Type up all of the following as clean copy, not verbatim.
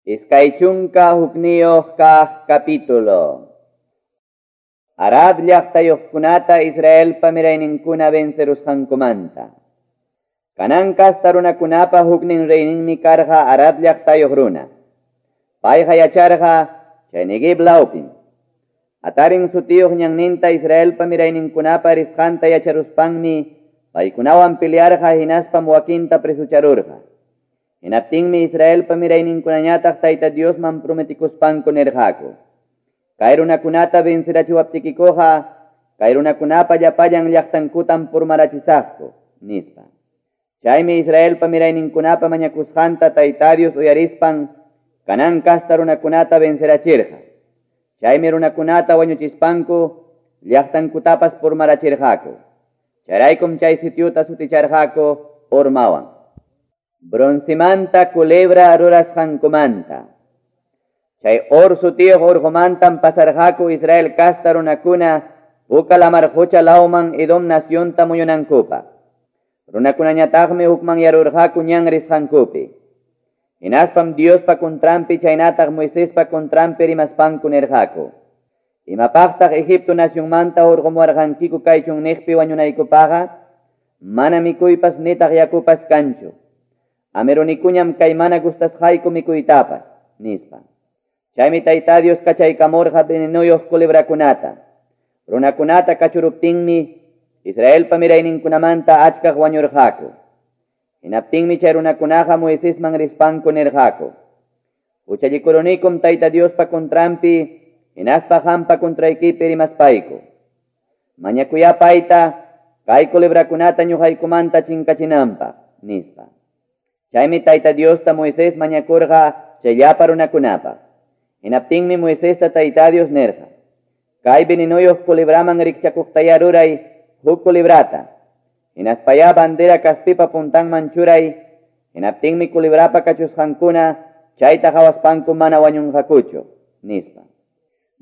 21 kaq capítulo. Arad llaqtayuqkunata Israelpa mirayninkuna vencerusqankumanta. Canaán kasta runakunapa huknin reyninmi karqa Arad llaqtayuq runa. Payqa yacharqa chay Neguev lawpim. Atarin sutiyuq ñanninta Israelpa mirayninkunapa risqanta yacharuspanmi paykunawan pelearqa hinaspam wakinta presucharurqa. Hinaptinmi Israelpa mirayninkunañataq Tayta Diosman prometikuspanku nirqaku: Kay runakunata vencerachiwaptikikuqa, kay runakunapa llapallan llaqtankutam purmarachisaqku, nispa. Chaymi Israelpa mirayninkunapa mañakusqanta Tayta Dios uyarispan Canaán kasta runakunata vencerachirqa. Chaymi runakunata wañuchispanku llaqtankutapas purmarachirqaku. Chayraykum chay sitiuta suticharqaku Hormawan. Broncemanta culebra rurasqankumanta. Chay Hor sutiyuq urqumantam pasarqaku Israel kasta runakuna Puka lamar qucha lawman Edom nacionta muyunankupaq. Runakunañataqmi hukmanyarurqaku ñan risqankupi. Hinaspam Diospa contranpi chaynataq Moisespa contranpi rimaspanku nirqaku: Imapaqtaq Egipto nacionmanta hurqumuwarqankiku kay chunniqpi wañunaykupaqqa? Mana mikuypas nitaq yakupas kanchu. Amerunikuñam kay mana gustasqayku mikuytapas, nispa. Chaymi Tayta Dios kachaykamurqa venenuyuq culebrakunata. Runakunata kachuruptinmi Israelpa mirayninkunamanta achkaq wañurqaku. Hinaptinmi chay runakunaqa Moisesman rispanku nirqaku: Huchallikurunikum Tayta Diospa contranpi hinaspa qampa contraykipi rimaspayku. Mañakuya payta kay culebrakunata ñuqaykumanta chinkachinanpaq, nispa. Chaymi Tayta Diosta Moisés mañakurqa chay llapa runakunapaq. Hinaptinmi Moisesta Tayta Dios nirqa: Kay venenuyuq culebraman rikchakuqtaya ruray huk culebrata. Hinaspaya bandera kaspipa puntanman churay. Hinaptinmi culebrapa kachusqankuna chayta qhawaspanku mana wañunqakuchu, nispa.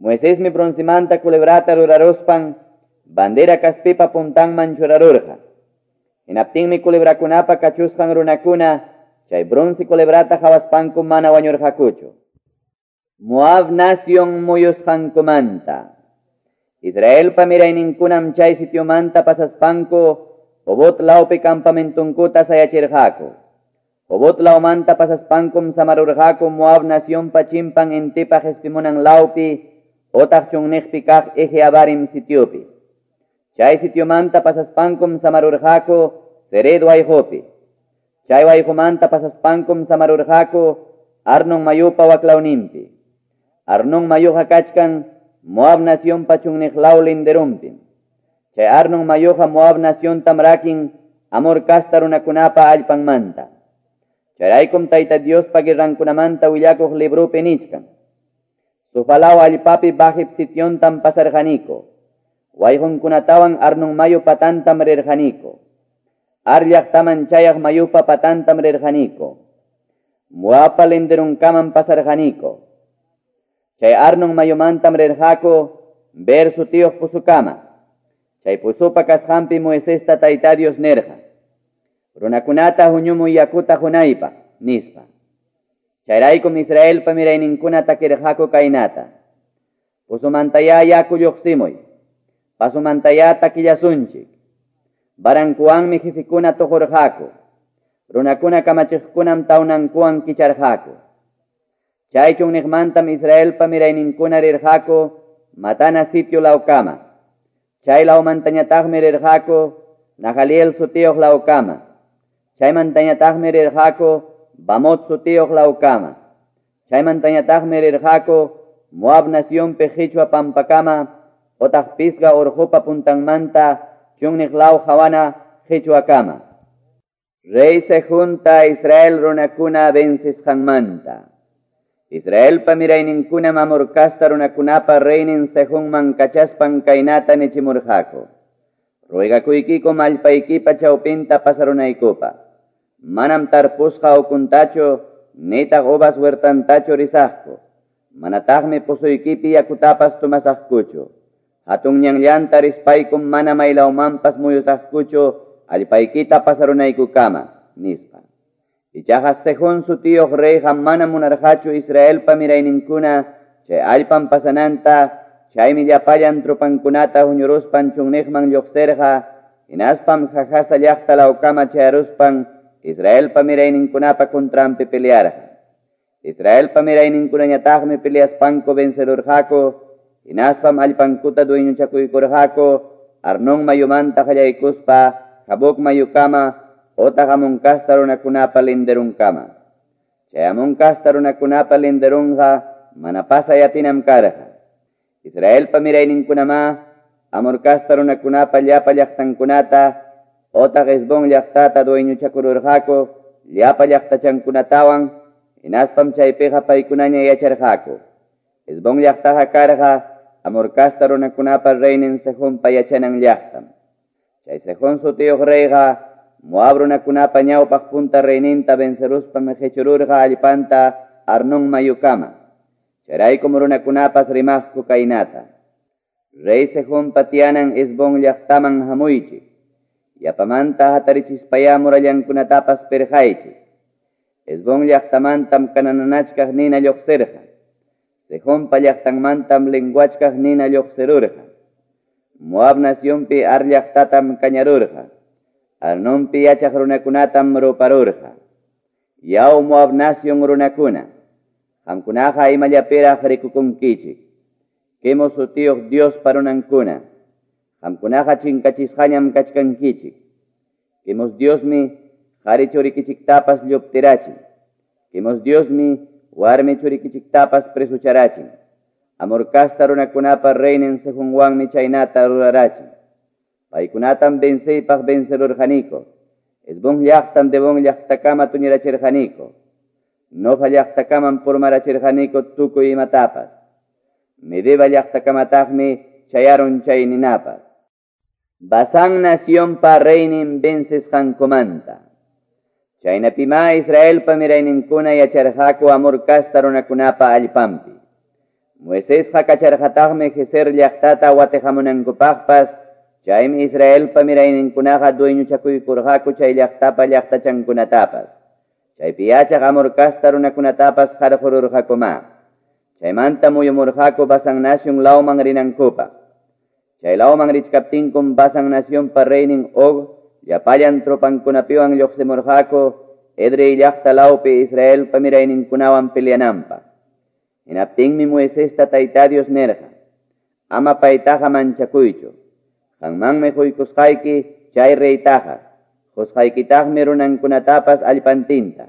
Moisesmi broncemanta culebrata ruraruspan bandera kaspipa puntanman churarurqa. Hinaptinmi culebrakunapa kachusqan runakuna chay bronce culebrata qhawaspanku mana wañurqakuchu. Moab nación muyusqankumanta. Israelpa mirayninkunam chay sitiomanta pasaspanku Obot lawpi campamentunkuta sayachirqaku. Obot lawmanta pasaspankum samarurqaku Moab nacionpa chimpan intipa qespimunan lawpi otaq chunniqpi kaq Ije Abarim sitiopi. Chay sitiomanta pasaspankum samarurqaku Zered wayqupi. Chay wayqumanta pasaspankum samarurqaku Arnon mayupa waklawninpi. Arnon mayuqa kachkan Moab nacionpa chunniq law linderumpim. Chay Arnon mayuqa Moab naciontam rakin Amor kasta runakunapa allpanmanta. Chayraykum Tayta Diospa guerrankunamanta willakuq librupi nichkan: Sufalaw allpapi bajip sitiontam pasarqaniku. Wayqunkunatawan Arnon mayu patantam rirqaniku. Ar llaqtaman chayaq mayupa patantam rirqaniku. Moabpa linderunkamam pasarqaniku. Chay Arnon mayumantam rirqaku Ber sutiyuq pusukama. Chay pusupa kasqanpi Moisesta Tayta Dios nirqa: Runakunata huñumuy yakuta hunaypaq, nispa. Chayraykum Israelpa mirayninkuna takirqaku kaynata: Pusumantaya yaku lluqsimuy. Pasumantaya takillasunchik. Barankuwanmi jefikuna tuqurqaku. Runakuna kamachiqkunam tawnankuwan kicharqaku. Chay chunniqmantam Israelpa mirayninkuna rirqaku Matana sitio lawkama. Chay lawmantañataqmi rirqaku Nahaliel sutiyuq lawkama. Chaymantañataqmi rirqaku Bamot sutiyuq lawkama. Chaymantañataqmi rirqaku Moab nacionpi qichwa pampakama otaq Pisga urqupa puntanmanta chunniq law hawana qichwakama. Rey Sehunta Israel runakuna vencisqanmanta. Israelpa mirayninkunam Amor kasta runakunapa reynin Sehunman kachaspan kaynata nichimurqaku: Ruegakuykikum allpaykipa chawpinta pasarunaykupaq. Manam tarpusqa ukuntachu nitaq uvas huertantachu risaqku. Manataqmi pusuykipi yakutapas tomasaqkuchu. Hatun ñanllanta rispaykum mana maylawmanpas muyusaqkuchu allpaykita pasarunaykukama, nispa. Ichaqa Sehón sutiyuq reyqa mana munarqachu Israelpa mirayninkuna chay allpan pasananta, chaymi llapallan tropankunata huñuruspan chunniqman lluqsirqa, hinaspam Jahasa llaqta lawkama chayaruspan Israelpa mirayninkunapa contranpi pelearqa. Israelpa mirayninkunañataqmi peleaspanku vencerurqaku, hinaspam allpankuta dueñochakuykurqaku, Arnón mayumanta qallaykuspa Jaboc mayukama otaq Amón kasta runakunapa linderunkama. Chay Amón kasta runakunapa linderunqa mana pasay atinam karqa. Israelpa mirayninkunamá Amor kasta runakunapa llapa llaqtankunata otaq Hesbón llaqtata dueñochakururqaku llapa llaqtachankunatawan, hinaspam chaypiqa paykunaña yacharqaku. Hesbón llaqtaqa karqa Amor kasta runakunapa reynin Sehonpa yachanan llaqtam. Chay Sehón sutiyuq reyqa Moab runakunapa ñawpaq punta reyninta venceruspam qechururqa allpanta Arnón mayukama. Chayraykum runakunapas rimaqku kaynata: Rey Sehonpa tiyanan Hesbón llaqtaman hamuychik. Yapamanta hatarichispayá murallankunatapas pirqaychik. Hesbón llaqtamantam kananachkaq nina lluqsirqa. Sehonpa llaqtanmantam lenguachkaq nina lluqsirurqa. Moab nacionpi Ar llaqtatam kañarurqa. Arnonpi yachaq runakunatam ruparurqa. Yaw Moab nación runakuna, qamkunaqa imallapiraq rikukunkichik. Quemos sutiyuq Dios parunankuna, qamkunaqa chinkachisqañam kachkankichik. Quemos Diosmi qhari churikichiktapas lluptirachin. Quemos Diosmi warmi churikichiktapas presucharachin. Amor kasta runakunapa reynin Sehonwanmi chaynata rurarachin. Paykunatam venceypaq vencerurqaniku. Hesbón llaqtam Debón llaqtakama tuñirachirqaniku. Nofa llaqtakaman purmarachirqaniku tukuy imatapas. Medeba llaqtakamataqmi chayarun chay ninapas. Basán nacionpa reynin vencesqankumanta. Chaynapimá Israelpa mirayninkuna yacharqaku Amor kasta runakunapa allpanpi. Moisesqa kacharqataqmi Gezer llaqtata watiqamunankupaqpas, chaymi Israelpa mirayninkunaqa dueñochakuykurqaku chay llaqtapa llaqtachankunatapas. Chaypi yachaq Amor kasta runakunatapas qarqururqakumá. Chaymanta muyumurqaku Basán nación lawman rinankupaq. Chay lawman richkaptinkum Basán nacionpa reynin Og llapallan tropankunapiwan lluqsimurqaku Edrei llaqta lawpi Israelpa mirayninkunawan peleananpaq. Hinaptinmi Moisesta Tayta Dios nirqa: Ama paytaqa manchakuychu. Qanmanmi quykusqayki chay reytaqa, qusqaykitaqmi runankunatapas allpantinta.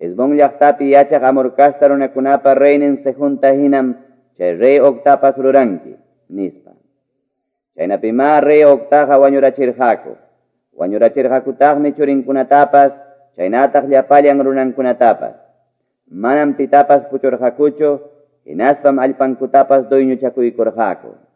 Hesbón llaqtapi yachaq Amor kasta runakunapa reynin Sehonta hinam chay rey Ogtapas ruranki, nispa. Chaynapimá rey Ogtaqa wañurachirqaku. Wañurachirqakutaqmi churinkunatapas, chaynataq llapallan runankunatapas. Manam pitapas puchurqakuchu, hinaspam allpankutapas dueñochakuykurqaku.